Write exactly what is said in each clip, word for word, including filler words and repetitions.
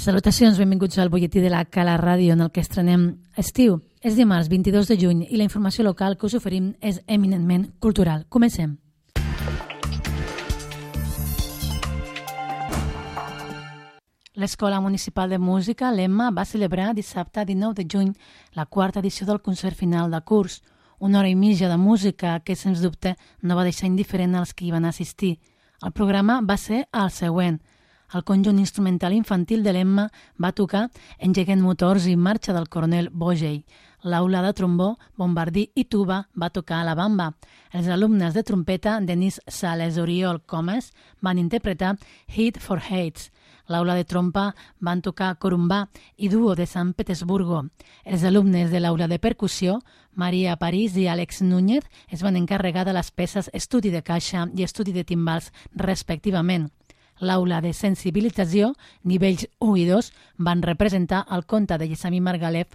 Salutacions, benvinguts al butlletí de la Cala Ràdio, en el que estrenem estiu. És dimarts vint-i-dos de juny i la informació local que us oferim és eminentment cultural. Comencem. L'Escola Municipal de Música, l'Emma, va celebrar dissabte dinou de juny la quarta edició del concert final de curs, una hora i mitja de música que, sens dubte, no va deixar indiferent als que hi van assistir. El programa va ser el següent. El conjunt instrumental infantil de l'Emma va tocar Engeguen motors i marxa del coronel Bogey. L'aula de trombó, bombardí i tuba va tocar a la bamba. Els alumnes de trompeta, Denis Sales, Oriol Comas, van interpretar Hit for Hates. L'aula de trompa van tocar corumbà i duo de Sant Petersburgo. Els alumnes de l'aula de percussió, Maria París i Àlex Núñez, es van encarregar de les peces Estudi de caixa i Estudi de timbals, respectivament. L'aula de sensibilització, nivells u i dos, van representar el conte de Yesami Margalef,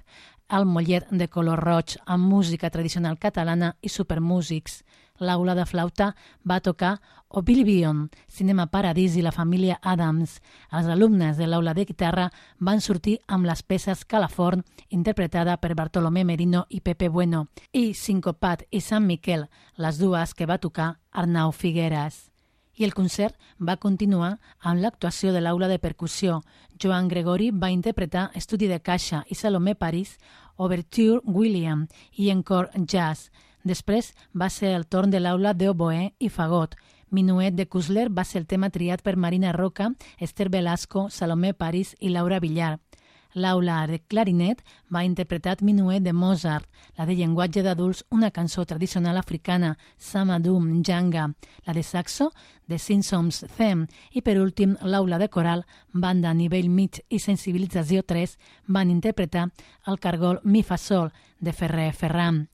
El mollet de color roig, amb música tradicional catalana i supermúsics. L'aula de flauta va tocar Oblivion, Cinema Paradís i la família Adams. Els alumnes de l'aula de guitarra van sortir amb les peces Calaforn, interpretada per Bartolomé Merino i Pepe Bueno, i Sincopat i Sant Miquel, les dues que va tocar Arnau Figueras. I el concert va continuar amb l'actuació de l'aula de percussió. Joan Gregori va interpretar Estudi de caixa i Salomé París, Overture William i Encore Jazz. Després va ser el torn de l'aula d'oboè i fagot. Minuet de Kusler va ser el tema triat per Marina Roca, Esther Velasco, Salomé París i Laura Villar. L'aula de clarinet va interpretar Minuet de Mozart, la de llenguatge d'adults, una cançó tradicional africana, Samadum Janga, la de saxo, The Simpsons Theme, i per últim, l'aula de coral, banda a nivell mig i sensibilització tres, van interpretar el cargol Mi fa sol, de Ferrer Ferran.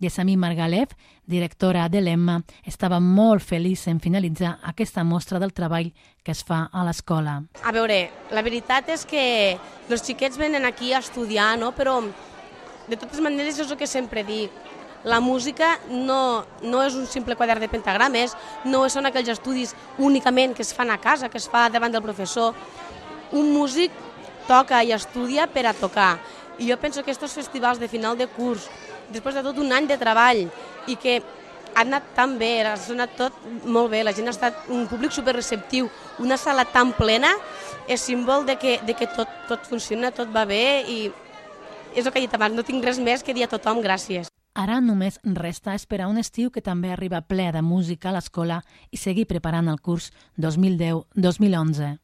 Yesami Margalef, directora de l'Emma, estava molt feliç en finalitzar aquesta mostra del treball que es fa a l'escola. A veure, la veritat és que els xiquets venen aquí a estudiar, no? Però de totes maneres és el que sempre dic. La música no, no és un simple quadern de pentagrames, no són aquells estudis únicament que es fan a casa, que es fa davant del professor. Un músic toca i estudia per a tocar. I jo penso que aquests festivals de final de curs, després de tot un any de treball, i que ha anat tan bé, ha sonat tot molt bé, la gent ha estat un públic superreceptiu, una sala tan plena, és símbol de que, de que tot, tot funciona, tot va bé, i és el que he dit abans, no tinc res més que dir a tothom gràcies. Ara només resta esperar un estiu que també arriba ple de música a l'escola i seguir preparant el curs dos mil deu dos mil onze.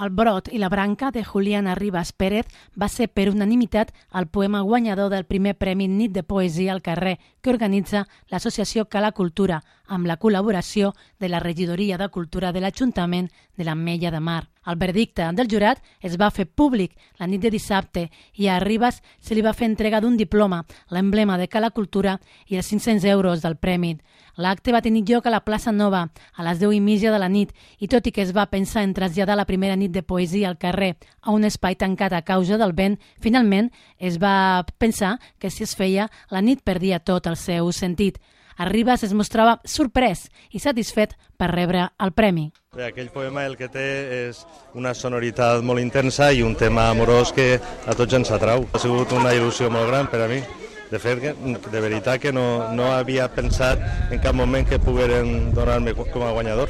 El brot i la branca de Juliana Ribas Pérez va ser per unanimitat el poema guanyador del primer Premi Nit de Poesia al carrer que organitza l'Associació Cala Cultura amb la col·laboració de la Regidoria de Cultura de l'Ajuntament de l'Ametlla de Mar. El verdicte del jurat es va fer públic la nit de dissabte i a Ribas se li va fer entrega d'un diploma, l'emblema de Cala Cultura i els cinc-cents euros del premi. L'acte va tenir lloc a la plaça Nova a les deu i mitja de la nit i tot i que es va pensar en traslladar la primera nit de poesia al carrer a un espai tancat a causa del vent, finalment es va pensar que si es feia la nit perdia tot el seu sentit. A Ribas es mostrava sorprès i satisfet per rebre el premi. Bé, aquell poema el que té és una sonoritat molt intensa i un tema amorós que a tots ens atrau. Ha sigut una il·lusió molt gran per a mi. De fet, de veritat que no, no havia pensat en cap moment que pogueren donar-me com a guanyador.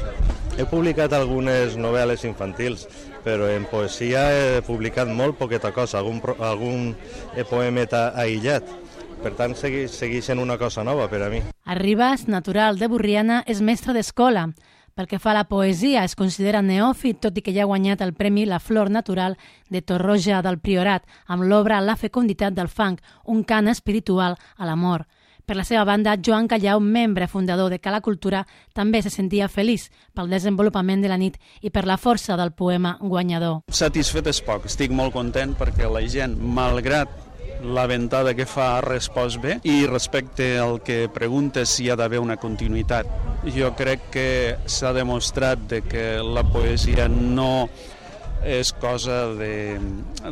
He publicat algunes novel·les infantils, però en poesia he publicat molt poqueta cosa, algun, algun poemeta aïllat. Per tant, segueix, segueix sent una cosa nova per a mi. A Ribas, natural de Borriana, és mestre d'escola. Pel que fa a la poesia, es considera neòfit, tot i que ja ha guanyat el Premi La Flor Natural de Torroja del Priorat, amb l'obra La fecunditat del fang, un cant espiritual a l'amor. Per la seva banda, Joan Callau, membre fundador de Cala Cultura, també se sentia feliç pel desenvolupament de la nit i per la força del poema guanyador. Satisfet és poc, estic molt content perquè la gent, malgrat la ventada que fa, ha respost bé, i respecte al que preguntes si hi ha d'haver una continuïtat. Jo crec que s'ha demostrat de que la poesia no és cosa de,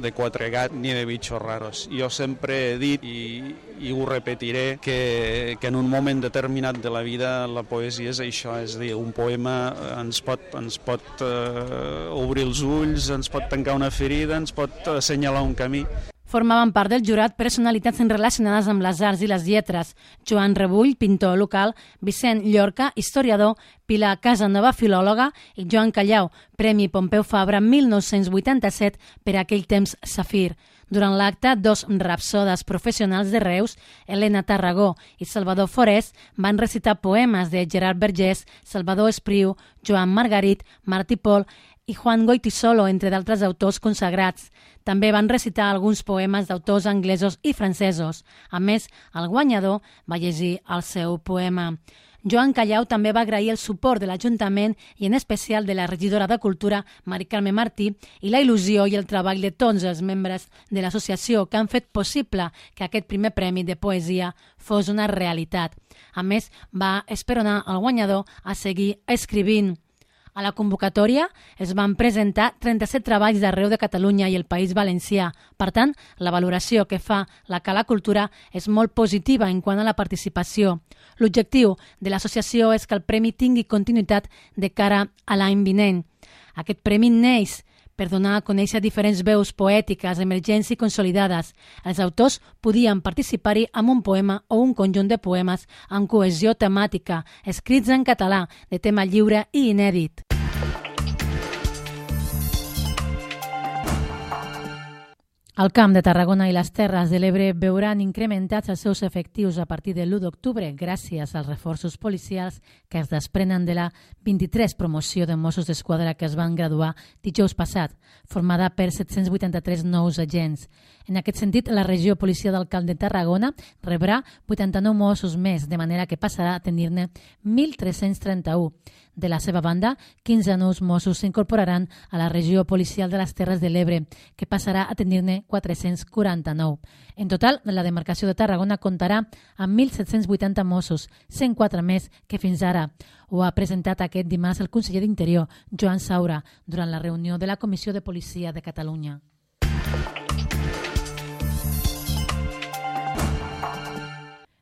de quatre gats ni de bitxos raros. Jo sempre he dit, i, i ho repetiré, que, que en un moment determinat de la vida la poesia és això, és a dir, un poema ens pot, ens pot uh, obrir els ulls, ens pot tancar una ferida, ens pot assenyalar un camí. Formaven part del jurat personalitats relacionades amb les arts i les lletres: Joan Rebull, pintor local, Vicent Llorca, historiador, Pilar Casanova, filòloga, i Joan Callau, Premi Pompeu Fabra mil nou-cents vuitanta-set per aquell temps Safir. Durant l'acte, dos rapsodes professionals de Reus, Helena Tarragó i Salvador Forés, van recitar poemes de Gerard Vergés, Salvador Espriu, Joan Margarit, Martí Pol i Juan Goytisolo, entre d'altres autors consagrats. També van recitar alguns poemes d'autors anglesos i francesos. A més, el guanyador va llegir el seu poema. Joan Callau també va agrair el suport de l'Ajuntament i en especial de la regidora de Cultura, Mari Carme Martí, i la il·lusió i el treball de tots els membres de l'associació que han fet possible que aquest primer premi de poesia fos una realitat. A més, va esperonar el guanyador a seguir escrivint. A la convocatòria es van presentar trenta-set treballs d'arreu de Catalunya i el País Valencià. Per tant, la valoració que fa la Cala Cultura és molt positiva en quant a la participació. L'objectiu de l'associació és que el premi tingui continuïtat de cara a l'any vinent. Aquest premi neix per donar a conèixer diferents veus poètiques emergents i consolidades. Els autors podien participar-hi amb un poema o un conjunt de poemes amb cohesió temàtica, escrits en català, de tema lliure i inèdit. El Camp de Tarragona i les Terres de l'Ebre veuran incrementats els seus efectius a partir de l'u d'octubre gràcies als reforços policials que es desprenen de la vint-i-tres promoció de Mossos d'Esquadra que es van graduar dijous passat, formada per set-cents vuitanta-tres nous agents. En aquest sentit, la regió policial del Camp de Tarragona rebrà vuitanta-nou Mossos més, de manera que passarà a tenir-ne mil tres-cents trenta-u. De la seva banda, quinze nous Mossos s'incorporaran a la regió policial de les Terres de l'Ebre, que passarà a tenir-ne quatre-cents quaranta-nou. En total, la demarcació de Tarragona comptarà amb mil set-cents vuitanta Mossos, cent quatre més que fins ara. Ho ha presentat aquest dimarts el conseller d'Interior, Joan Saura, durant la reunió de la Comissió de Policia de Catalunya.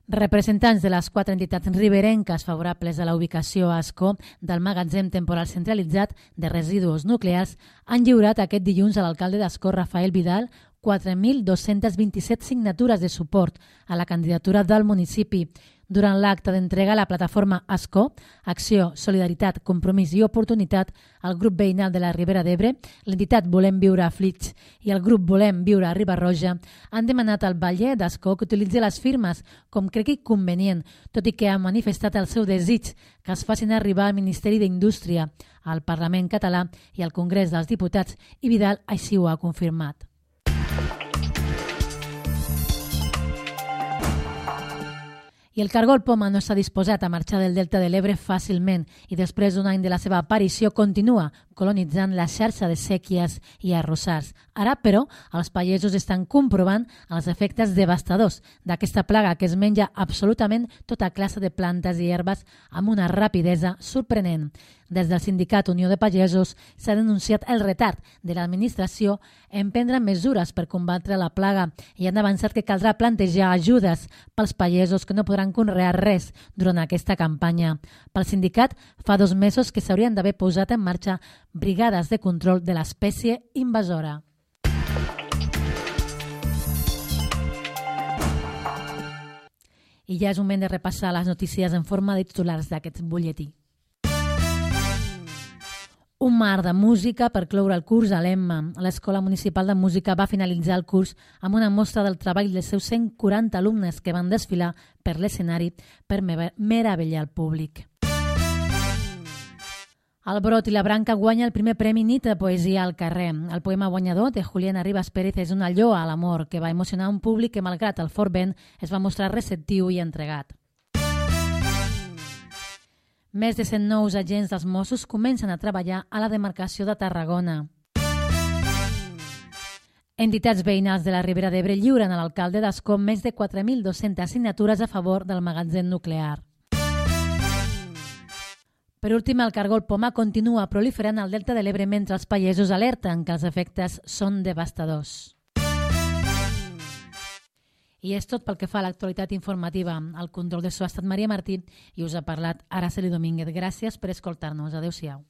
Representants de les quatre entitats riberenques favorables a la ubicació a Ascó del magatzem temporal centralitzat de residus nuclears han lliurat aquest dilluns a l'alcalde d'Ascó, Rafael Vidal, quatre mil dos-cents vint-i-set signatures de suport a la candidatura del municipi. Durant l'acte d'entrega a la plataforma Ascó, Acció, Solidaritat, Compromís i Oportunitat, el grup veïnal de la Ribera d'Ebre, l'entitat Volem Viure a Flix i el grup Volem Viure a Riba-roja han demanat al Batlle d'Ascó que utilitzi les firmes com cregui convenient, tot i que ha manifestat el seu desig que es facin arribar al Ministeri d'Indústria, al Parlament català i al Congrés dels Diputats, i Vidal així ho ha confirmat. I el cargol poma no està disposat a marxar del Delta de l'Ebre fàcilment i després d'un any de la seva aparició continua colonitzant la xarxa de sèquies i arrossars. Ara, però, els pagesos estan comprovant els efectes devastadors d'aquesta plaga que es menja absolutament tota classe de plantes i herbes amb una rapidesa sorprenent. Des del sindicat Unió de Pagesos s'ha denunciat el retard de l'administració en prendre mesures per combatre la plaga i han avançat que caldrà plantejar ajudes pels pagesos que no podran conrear res durant aquesta campanya. Pel sindicat, fa dos mesos que s'haurien d'haver posat en marxa brigades de control de l'espècie invasora. I ja és moment de repassar les notícies en forma de titulars d'aquest butlletí. Un mar de música per cloure el curs a l'Emma. L'Escola Municipal de Música va finalitzar el curs amb una mostra del treball dels seus cent quaranta alumnes que van desfilar per l'escenari per meravellar el públic. El Brot i la Branca guanya el primer premi Nit de Poesia al carrer. El poema guanyador de Juliana Ribas Pérez és una lloa a l'amor que va emocionar un públic que, malgrat el fort vent, es va mostrar receptiu i entregat. Més de cent nous agents dels Mossos comencen a treballar a la demarcació de Tarragona. Entitats veïnals de la Ribera d'Ebre lliuren a l'alcalde d'Ascó més de quatre mil dues-centes signatures a favor del magatzem nuclear. Per últim, el cargol poma continua proliferant al Delta de l'Ebre mentre els pagesos alerten que els efectes són devastadors. I és tot pel que fa a l'actualitat informativa. Al control de so ha estat Maria Martí i us ha parlat Araceli Domínguez. Gràcies per escoltar-nos. Adéu-siau.